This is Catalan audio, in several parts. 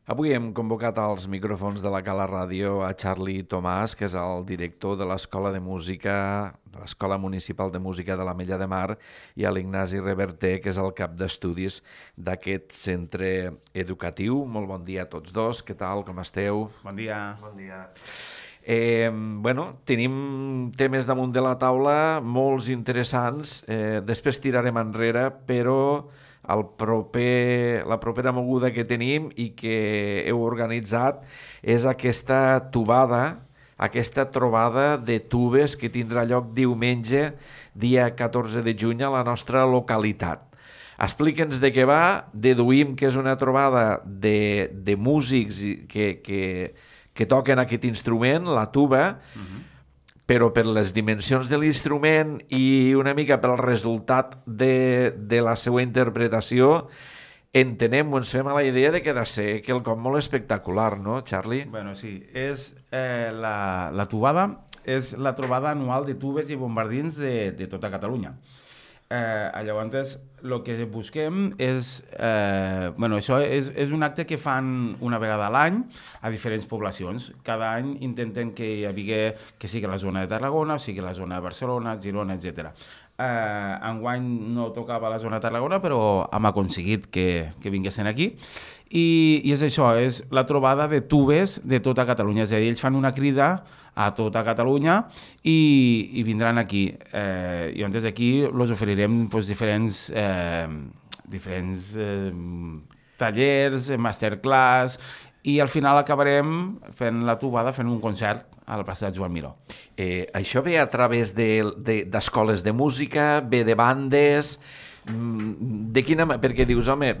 Avui hem convocat als micròfons de la Cala Ràdio a Charlie Tomàs, que és el director de l'Escola de Música, de l'Escola Municipal de Música de l'Ametlla de Mar, i a l'Ignasi Reverter, que és el cap d'estudis d'aquest centre educatiu. Molt bon dia a tots dos, què tal, com esteu? Bon dia. Bon dia. Tenim temes damunt de la taula molts interessants, després tirarem enrere, però la propera moguda que tenim i que heu organitzat és aquesta trobada de tubes que tindrà lloc diumenge, dia 14 de juny, a la nostra localitat. Explica'ns de què va. Deduïm que és una trobada de músics que toquen aquest instrument, la tuba, però per les dimensions de l'instrument i una mica pel resultat de la seva interpretació, entenem o ens fem a la idea de que ha de ser quelcom molt espectacular, no, Charlie? Bueno, sí, és la tubada és la trobada anual de tubes i bombardins de tota Catalunya. Llavors, el que busquem és... això és un acte que fan una vegada a l'any a diferents poblacions. Cada any intentem que hi hagi, que sigui la zona de Tarragona, sigui la zona de Barcelona, Girona, etc. Enguany no tocava la zona de Tarragona, però hem aconseguit que vinguessin aquí. I és això, és la trobada de tubes de tota Catalunya. És a dir, ells fan una crida a tota Catalunya i vindran aquí. I llavors aquí els oferirem diferents tallers, masterclass, i al final acabarem fent la tubada, fent un concert a la plaça de Joan Miró. Això ve a través d'escoles de música, ve de bandes... De quina manera? Perquè dius, home,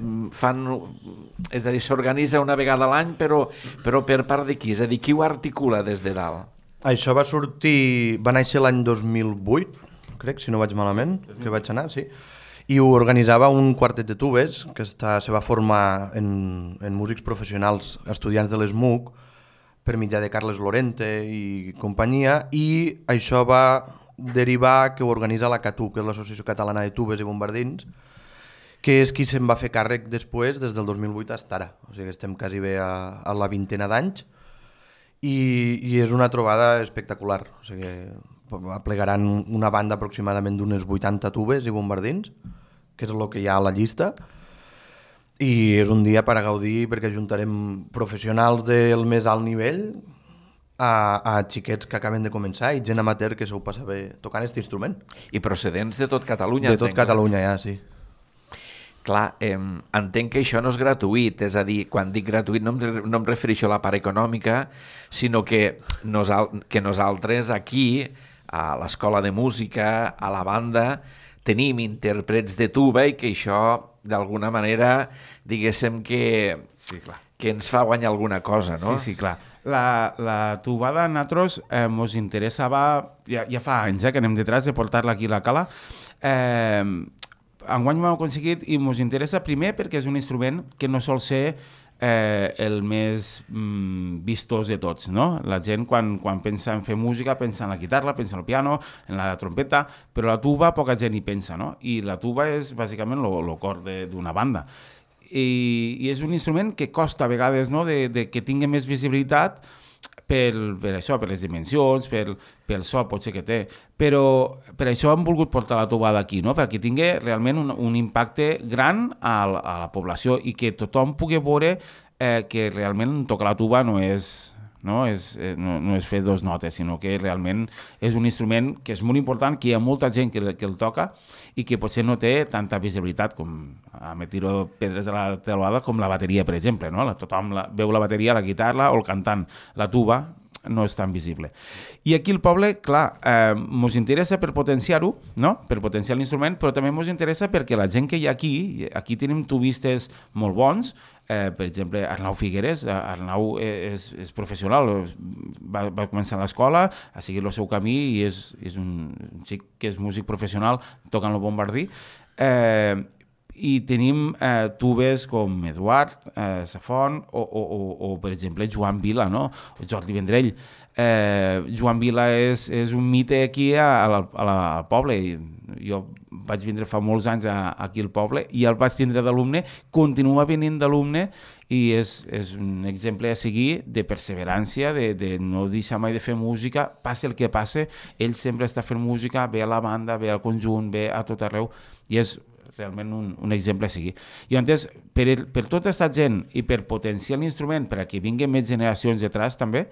és a dir, s'organitza una vegada a l'any, però per part de qui? És a dir, qui ho articula des de dalt? Això va néixer l'any 2008, crec, si no vaig malament, que vaig anar, sí. I ho organitzava un quartet de tubes que se va formar en músics professionals, estudiants de l'ESMUC, per mitjà de Carles Lorente i companyia, i això va derivar que ho organitza la CATU, que és l'Associació Catalana de Tubes i Bombardins, que és qui se'n va fer càrrec després, des del 2008 fins ara. O sigui que estem quasi bé a la vintena d'anys, i és una trobada espectacular. O sigui, aplegaran una banda aproximadament d'unes 80 tubes i bombardins, que és el que hi ha a la llista, i és un dia per a gaudir perquè juntarem professionals del més alt nivell a xiquets que acaben de començar i gent amateur que s'ho passa bé tocant aquest instrument. I procedents de tot Catalunya. De tot Catalunya, ja, sí. Clar, entenc que això no és gratuït, és a dir, quan dic gratuït no em refereixo a la part econòmica, sinó que nosaltres aquí, a l'Escola de Música, a la banda, tenim intèrprets de tuba i que això, d'alguna manera, diguéssim que ens fa guanyar alguna cosa, no? Sí, clar. La tubada a nosaltres ens interessava, ja fa anys que anem detrás de portar-la aquí a la cala. Enguany ho hem aconseguit i ens interessa primer perquè és un instrument que no sol ser el més vistós de tots, no? La gent quan pensa en fer música pensa en la guitarra, pensa en el piano, en la trompeta, però la tuba poca gent hi pensa, no? I la tuba és bàsicament el cor d'una banda. I és un instrument que costa a vegades, no, de que tingui més visibilitat per això, per les dimensions, pel so potser que té, però per això hem volgut portar la tubada aquí, no? Perquè tingui realment un impacte gran a la població i que tothom pugui veure que realment tocar la tuba no és fer dos notes, sinó que realment és un instrument que és molt important, que hi ha molta gent que el toca i que potser no té tanta visibilitat com a me tiro pedres de la teulada com la bateria, per exemple, no? Tothom veu la bateria, la guitarra o el cantant. La tuba no és tan visible. I aquí el poble, clar, ens interessa per potenciar-ho, no? Per potenciar l'instrument, però també ens interessa perquè la gent que hi ha aquí tenim tubistes molt bons. Per exemple, Arnau Figueres. Arnau és professional, va començar a l'escola, ha seguit el seu camí i és un xic que és músic professional tocant el bombardí. i tenim tubes com Eduard Safont o per exemple, Joan Vila, no? O Jordi Vendrell. Joan Vila és un mite aquí al poble. Jo vaig vindre fa molts anys aquí al poble i el vaig tindre d'alumne, continua venint d'alumne i és un exemple a seguir de perseverància, de no deixar mai de fer música, passi el que passi, ell sempre està fent música, ve a la banda, ve al conjunt, ve a tot arreu, i és realment un exemple a seguir. I llavors, per tota aquesta gent i per potenciar l'instrument, per a que vinguin més generacions detrás també,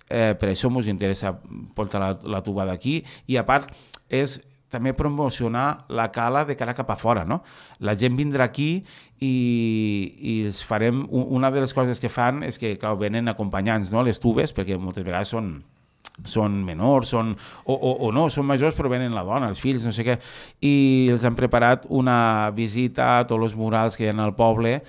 per això ens interessa portar la tuba d'aquí, i a part és també promocionar la cala de cara cap a fora, no? La gent vindrà aquí i els farem... Una de les coses que fan és que, clar, venen acompanyants, no?, les tubes, perquè moltes vegades són menors, o no, són majors però venen la dona, els fills, no sé què, i els han preparat una visita a tots els murals que hi ha al poble,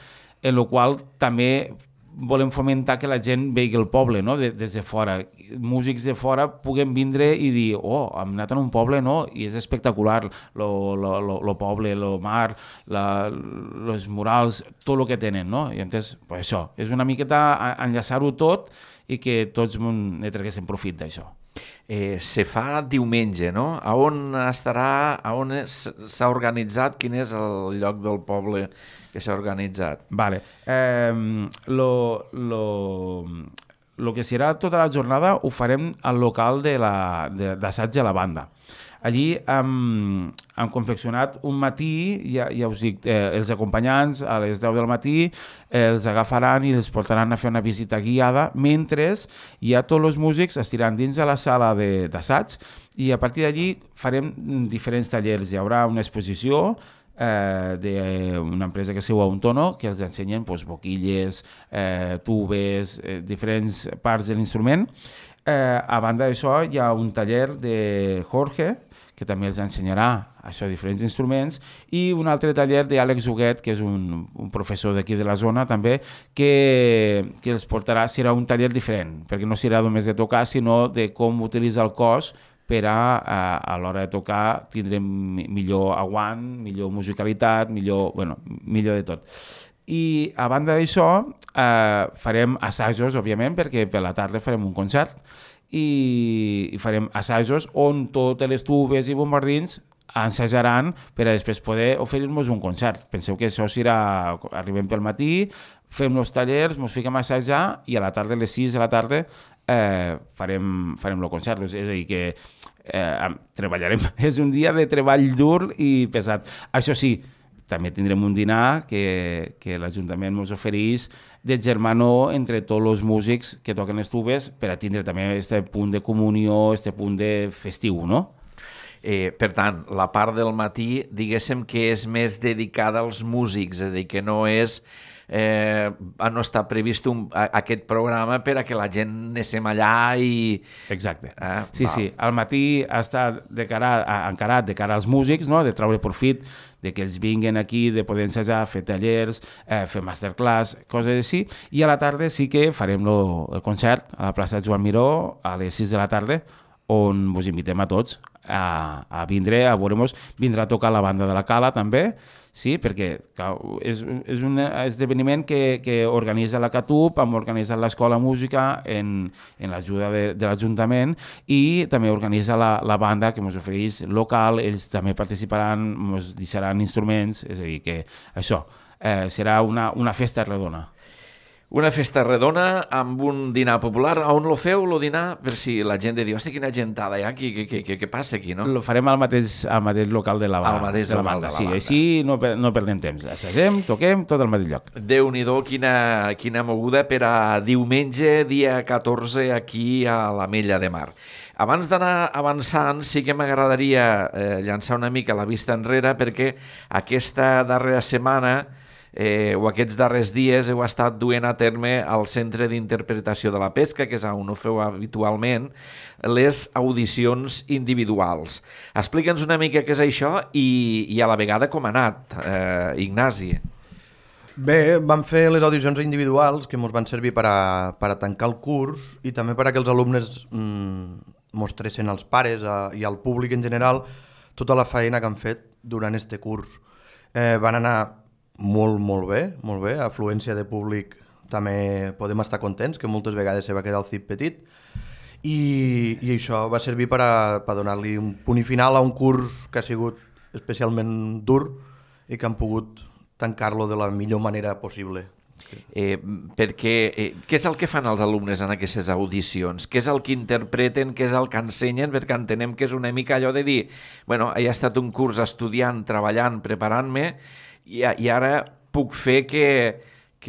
en la qual també volem fomentar que la gent vegi el poble, no?, des de fora. Músics de fora puguen vindre i dir, hem anat a un poble, no?, i és espectacular, el poble, el mar, els murals, tot el que tenen, no? I llavors, això, és una miqueta enllaçar-ho tot i que tots ne traguéssim profit d'això. Se fa diumenge, no? A on estarà, a on s'ha organitzat, quin és el lloc del poble que s'ha organitzat? Vale. Lo que serà tota la jornada ho farem al local d'assaig de la banda. Allí hem confeccionat un matí, ja us dic, els acompanyants a les 10 del matí els agafaran i els portaran a fer una visita guiada, mentre ja tots els músics estiran dins de la sala d'assaig i a partir d'allí farem diferents tallers. Hi haurà una exposició d'una empresa que es diu Auntono, que els ensenyen boquilles, tubes, diferents parts de l'instrument. A banda d'això hi ha un taller de Jorge, que també els ensenyarà això, diferents instruments, i un altre taller d'Àlex Huguet, que és un professor d'aquí de la zona també, que els portarà, serà un taller diferent, perquè no serà només de tocar, sinó de com utilitzar el cos per a l'hora de tocar tindrem millor aguant, millor musicalitat, millor de tot. I a banda d'això farem assajos, òbviament, perquè per la tarda farem un concert i farem assajos on totes les tubes i bombardins ensajaran per a després poder oferir-nos un concert. Penseu que això serà, arribem pel matí, fem els tallers, ens fiquem a assajar i a la tarda, a les 6 de la tarda, farem el concert. És a dir, que treballarem. És un dia de treball dur i pesat. Això sí, també tindrem un dinar que l'Ajuntament ens ofereix de germanor entre tots els músics que toquen les tubes per a tindre també aquest punt de comunió, aquest punt de festiu, no? Per tant, la part del matí, diguéssim que és més dedicada als músics, és a dir, que no és... no està previst aquest programa per a que la gent anéssim allà i... Exacte. Sí. Al matí està encarat de cara als músics, no?, de treure profit, de que ells vinguin aquí, de poder ensejar, fer tallers, fer masterclass, coses així, i a la tarda sí que farem el concert a la plaça Joan Miró a les 6 de la tarda, on vos invitem a tots a vindre, a veure-nos. Vindrà a tocar la banda de la Cala també, sí, perquè és un esdeveniment que organitza la CATUB, hem organitzat l'Escola Música en l'ajuda de l'Ajuntament i també organitza la banda que ens ofereix local, ells també participaran, ens deixaran instruments, és a dir, que això serà una festa redona. Una festa redona amb un dinar popular. On lo feu, el dinar? Per si la gent diu, hosti, quina gentada hi ha aquí, què passa aquí, no? Lo farem al mateix local de la banda. Al mateix local de la banda. Sí, així no perdem temps. Assagem, toquem, tot al mateix lloc. Déu-n'hi-do, quina moguda per a diumenge, dia 14, aquí a l'Ametlla de Mar. Abans d'anar avançant, sí que m'agradaria llançar una mica la vista enrere, perquè aquesta darrera setmana o aquests darrers dies heu estat duent a terme al Centre d'Interpretació de la Pesca, que és on ho feu habitualment, les audicions individuals. Explica'ns una mica què és això i a la vegada com ha anat, Ignasi. Bé, vam fer les audicions individuals que ens van servir per a tancar el curs i també per a que els alumnes mostressin als pares i al públic en general tota la feina que han fet durant este curs. Van anar molt bé. Afluència de públic també podem estar contents, que moltes vegades se va quedar el CIP petit. I això va servir per donar-li un punt i final a un curs que ha sigut especialment dur i que han pogut tancar-lo de la millor manera possible. Perquè què és el que fan els alumnes en aquestes audicions? Què és el que interpreten, què és el que ensenyen? Perquè entenem que és una mica allò de dir bueno, he estat un curs estudiant, treballant, preparant-me i ara puc fer que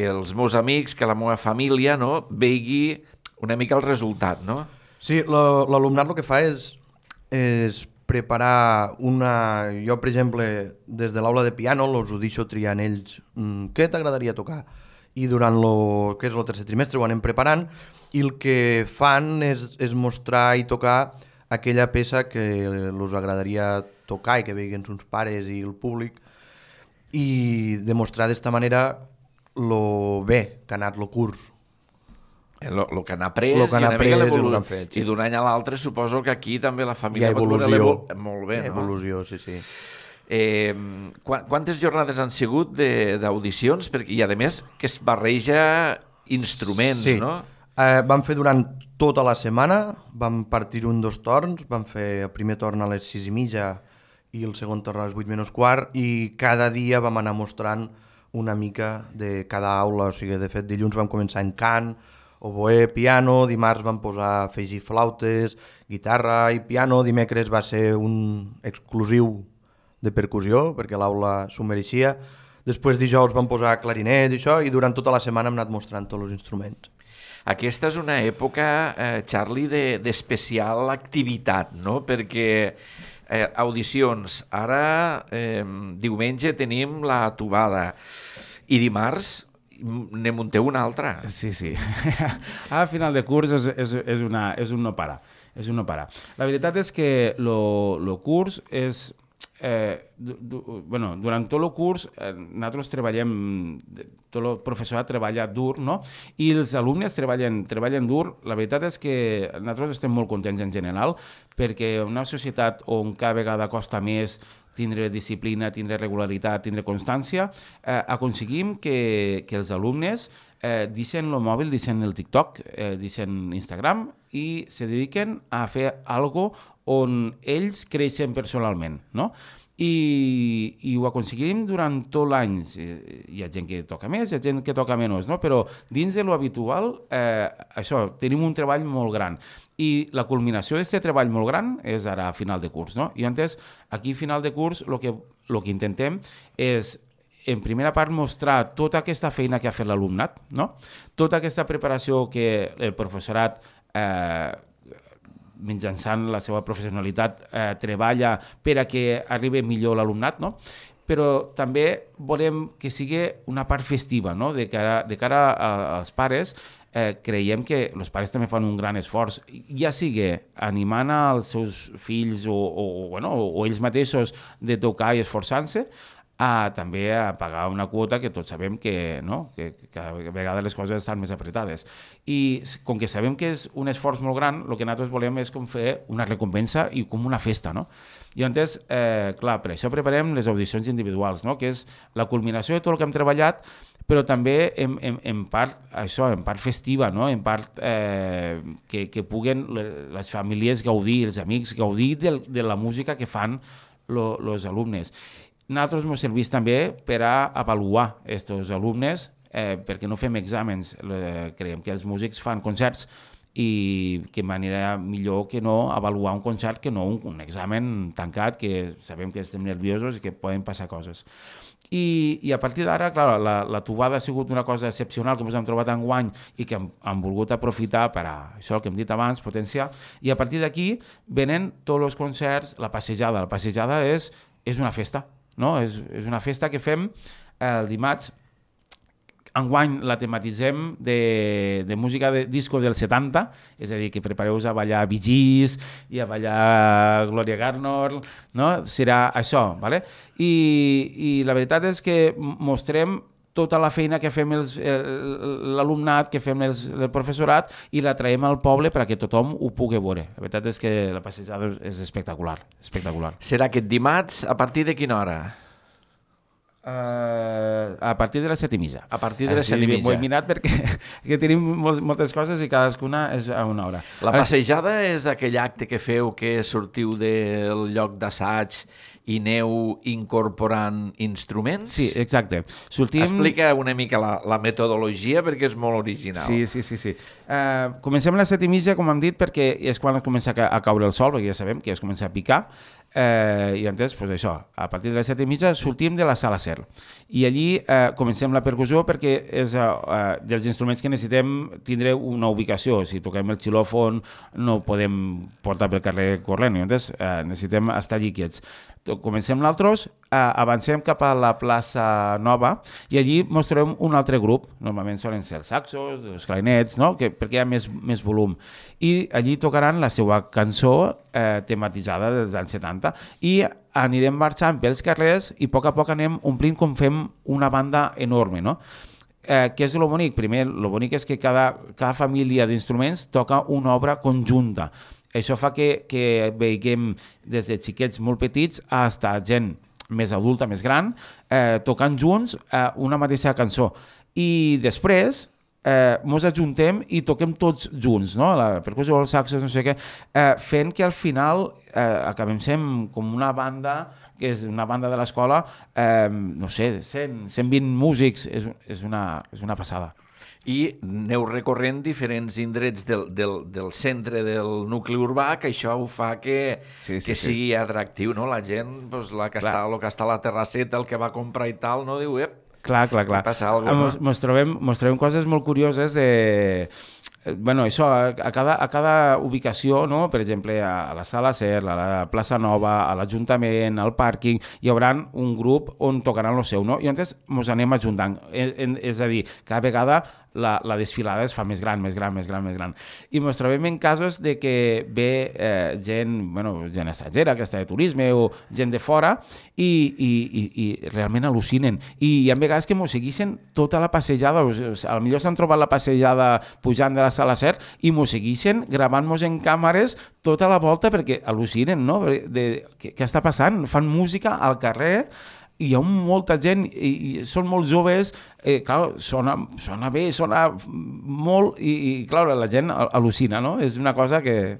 els meus amics, que la meva família no, vegi una mica el resultat, no? Sí, l'alumnat el que fa és preparar una... Jo, per exemple, des de l'aula de piano els ho deixo triant ells què t'agradaria tocar. I durant el tercer trimestre ho anem preparant i el que fan és mostrar i tocar aquella peça que els agradaria tocar i que veguin uns pares i el públic i demostrar d'esta manera lo bé que ha anat el curs. El que han après, i el que han fet. I d'un any a l'altre suposo que aquí també la família... Hi ha evolució. Molt bé, no? Evolució, sí. Quantes jornades han sigut d'audicions? I a més que es barreja instruments, sí. No? Vam fer durant tota la setmana, vam partir en 2 torns, vam fer el primer torn a les 6:30 i el segon torn a les 8:15 i cada dia vam anar mostrant una mica de cada aula, o sigui, de fet dilluns vam començar en cant, oboè, piano, dimarts vam posar afegir flautes, guitarra i piano, dimecres va ser un exclusiu de percussió, perquè l'aula s'ho mereixia. Després dijous vam posar clarinet i això, i durant tota la setmana hem anat mostrant tots els instruments. Aquesta és una època, Charlie, d'especial activitat, no? Perquè audicions, ara diumenge tenim la tubada i dimarts ne munteu una altra. Sí. A final de curs és un no parar. La veritat és que el curs és... durant tot el curs nosaltres treballem, tot el professorat treballa dur, no? I els alumnes treballen dur. La veritat és que nosaltres estem molt contents en general perquè una societat on cada vegada costa més tindre disciplina, tindre regularitat, tindre constància, aconseguim que els alumnes deixen el mòbil, deixen el TikTok, deixen Instagram i se dediquen a fer algo on ells creixen personalment, no? I ho aconseguim durant tot l'any. Hi ha gent que toca més, hi ha gent que toca menys, no? Però dins de lo habitual, això, tenim un treball molt gran. I la culminació d'aquest treball molt gran és ara a final de curs, no? I antes, aquí a final de curs, el que intentem és en primera part mostrar tota aquesta feina que ha fet l'alumnat, no? Tota aquesta preparació que el professorat mitjançant la seva professionalitat treballa per a que arribi millor l'alumnat, no? Però també volem que sigui una part festiva, no? De cara als pares, creiem que els pares també fan un gran esforç, ja sigui animant als seus fills o ells mateixos de tocar i esforçant-se, també a pagar una quota que tots sabem que a vegades les coses estan més apretades. I com que sabem que és un esforç molt gran, el que nosaltres volem és com fer una recompensa i com una festa, no? I llavors, clar, per això preparem les audicions individuals, no? Que és la culminació de tot el que hem treballat, però també en part això, en part festiva, no? En part que puguen les famílies gaudir, els amics gaudir de la música que fan els alumnes. Nosaltres ens serveix també per a avaluar aquests alumnes perquè no fem exàmens. Creiem que els músics fan concerts i que manera millor que no avaluar un concert que no un examen tancat, que sabem que estem nerviosos i que poden passar coses. I a partir d'ara, clar, la tubada ha sigut una cosa excepcional que ens hem trobat enguany i que hem volgut aprofitar per a això que hem dit abans, potenciar, i a partir d'aquí venen tots els concerts, la passejada. La passejada és una festa. No? És una festa que fem el dimarts. Enguany la tematitzem de música de disco del 70, és a dir, que prepareu-vos a ballar Bee Gees i a ballar Gloria Gaynor, no? Serà això, ¿vale? I la veritat és que mostrem tota la feina que fem l'alumnat, que fem el professorat i la traiem al poble perquè tothom ho pugui veure. La veritat és que la passejada és espectacular, espectacular. Serà aquest dimarts a partir de quina hora? A partir de les 7:30. A partir de les 7:30. Ho he mirat perquè que tenim moltes coses i cadascuna és a una hora. La passejada és aquell acte que feu que sortiu del lloc d'assaig i aneu incorporant instruments? Sí, exacte. Explica una mica la metodologia perquè és molt original. Sí. Comencem a les 7:30, com hem dit, perquè és quan comença a caure el sol, perquè ja sabem que es comença a picar, i entonces, pues això, a partir de les 7:30 sortim de la sala SER i allí comencem la percussió perquè és dels instruments que necessitem tindre una ubicació. Si toquem el xilòfon no ho podem portar pel carrer corrent, entonces necessitem estar allí quiets. Comencem nosaltres, avancem cap a la plaça Nova i allí mostrarem un altre grup, normalment solen ser els saxos, els clarinets, no? Perquè hi ha més volum, i allí tocaran la seva cançó tematitzada dels anys 70 i anirem marxant pels carrers i a poc anem omplint com fem una banda enorme, no? Què és el bonic? Primer, el bonic és que cada família d'instruments toca una obra conjunta. Això fa que veiem des de xiquets molt petits fins a gent més adulta, més gran, tocant junts una mateixa cançó. I després ens ajuntem i toquem tots junts, no? La percussió, els saxos, no sé què, fent que al final acabem sent com una banda, que és una banda de l'escola, no sé, 120 músics, és una passada. I aneu recorrent diferents indrets del centre del nucli urbà, que això ho fa que sigui atractiu, no? La gent, pues, el que està a la terrasseta, el que va comprar i tal, no diu, Clar. passa alguna cosa. Mos trobem coses molt curioses de... Bueno, això, a cada ubicació, no? Per exemple, a la Sala SER, a la plaça Nova, a l'Ajuntament, al pàrquing, hi haurà un grup on tocaran el seu, no? I llavors ens anem ajuntant. És a dir, cada vegada la desfilada es fa més gran. I ens trobem en casos de que ve gent estrangera, que està de turisme, o gent de fora, i realment al·lucinen. I hi ha vegades que ens segueixen tota la passejada, potser s'han trobat la passejada pujant de la Sala SER i ens segueixen gravant-nos en càmeres tota la volta perquè al·lucinen, no? Què està passant? Fan música al carrer, i hi ha molta gent, i són molt joves, clar, sona bé, sona molt, i clar, la gent al·lucina, no? És una cosa que,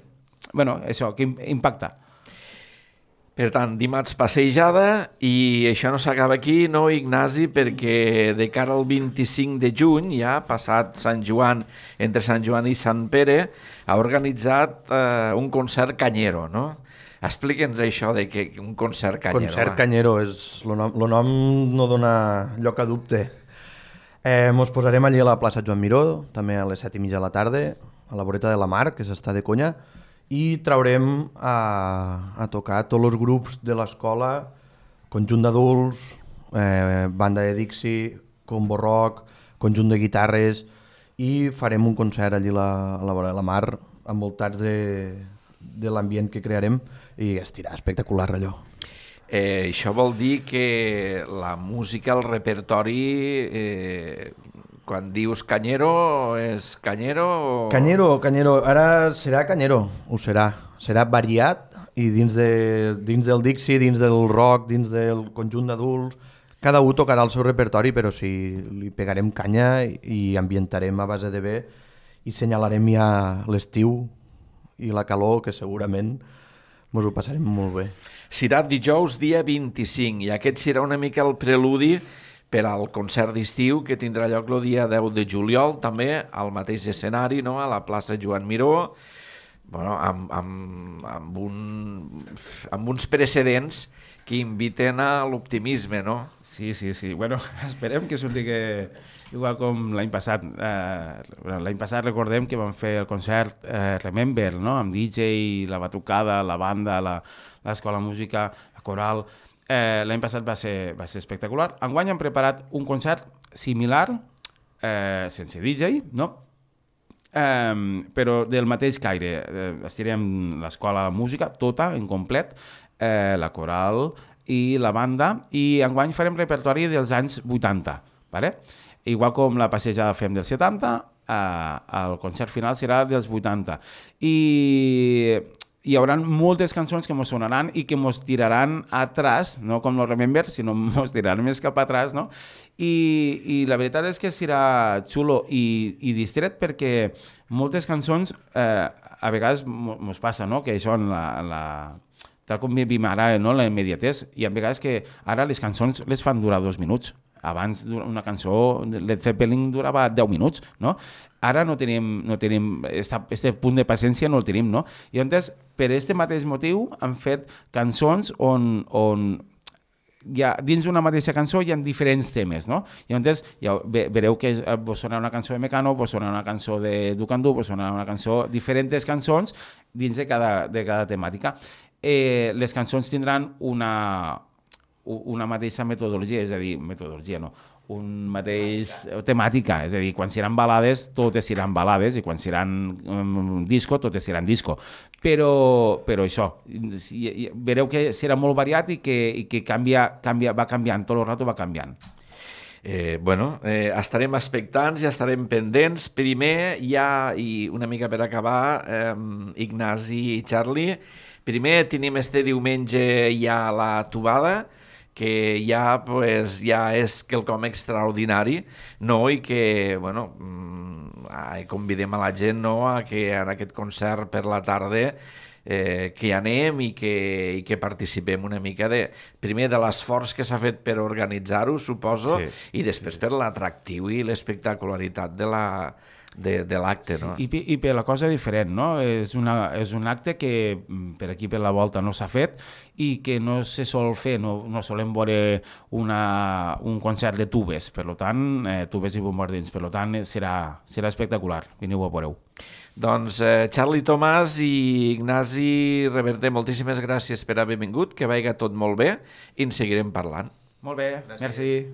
que impacta. Per tant, dimarts passejada, i això no s'acaba aquí, no, Ignasi, perquè de cara al 25 de juny, ja passat Sant Joan, entre Sant Joan i Sant Pere, ha organitzat un concert canyero, no? Explica'ns això de que un concert canyero. Concert canyero, el nom no dona lloc a dubte. Ens posarem allí a la plaça Joan Miró, també a les 7:30 de la tarda, a la voreta de la Mar, que s'està de conya, i traurem a tocar tots els grups de l'escola, conjunt d'adults, banda de Dixie, combo rock, conjunt de guitarres, i farem un concert allí a la vora de la Mar, envoltats de l'ambient que crearem, i estirà espectacular allò. Això vol dir que la música, el repertori, quan dius canyero, és canyero? O... Canyero, ara serà canyero, ho serà. Serà variat, i dins del Dixie, dins del rock, dins del conjunt d'adults, cada un tocarà el seu repertori, però sí, li pegarem canya i ambientarem a base de bé i senyalarem ja l'estiu i la calor, que segurament ens ho passarem molt bé. Serà dijous dia 25, i aquest serà una mica el preludi per al concert d'estiu que tindrà lloc el dia 10 de juliol, també al mateix escenari, no? A la plaça Joan Miró, amb uns precedents que inviten a l'optimisme, no? Sí. Bueno, esperem que surti igual com l'any passat. L'any passat recordem que vam fer el concert Remember, no? Amb DJ, la batucada, la banda, l'escola de música, la coral. L'any passat va ser espectacular. Enguany hem preparat un concert similar, sense DJ, no? Però del mateix caire. Estirem l'escola de música tota, en complet, la coral i la banda, i enguany farem repertori dels anys 80, vale? Igual com la passejada fem dels 70, el concert final serà dels 80. I hi haurà moltes cançons que mos sonaran i que mos tiraran atrás, no com los Remember, sinó mos tiraran més cap atrás, no? I la veritat és que serà xulo i distret perquè moltes cançons a vegades mos passa, no? Que això en tal com vivim ara, no? La immediatesa, i a vegades que ara les cançons les fan durar 2 minuts. Abans una cançó, Led Zeppelin durava 10 minuts, no? Ara no tenim este punt de paciència no el tenim, no? I llavors, per aquest mateix motiu, han fet cançons on dins d'una mateixa cançó hi ha diferents temes, no? I llavors ja vereu que vos sonarà una cançó de Mecano, vos sonarà una cançó de Ducandú, vos sonarà una cançó, diferents cançons dins de cada temàtica. Les cançons tindran una mateixa metodologia, és a dir, un mateix temàtica, és a dir, quan seran balades, totes seran balades, i quan seran disco, totes seran disco. Però això, vereu que serà molt variat i que va canviant, tot el rato va canviant. Estarem expectants i estarem pendents. Primer, i una mica per acabar, Ignasi i Charlie, primer tenim este diumenge ja la tubada, que ja és quelcom extraordinari, no? I que convidem a la gent, no? A que en aquest concert per la tarda que hi anem i que participem una mica primer de l'esforç que s'ha fet per organitzar-ho, suposo, i després per l'atractiu i l'espectacularitat de l'acte, no? I per la cosa diferent, no? És un acte que per aquí per la volta no s'ha fet i que no se sol fer, no solem veure un concert de tubes, per tant, tubes i bombardins, per tant serà espectacular, veniu a veure-ho. Doncs Charlie Tomàs i Ignasi Reverter, moltíssimes gràcies per haver vingut, que vagi tot molt bé i en seguirem parlant. Molt bé, merci.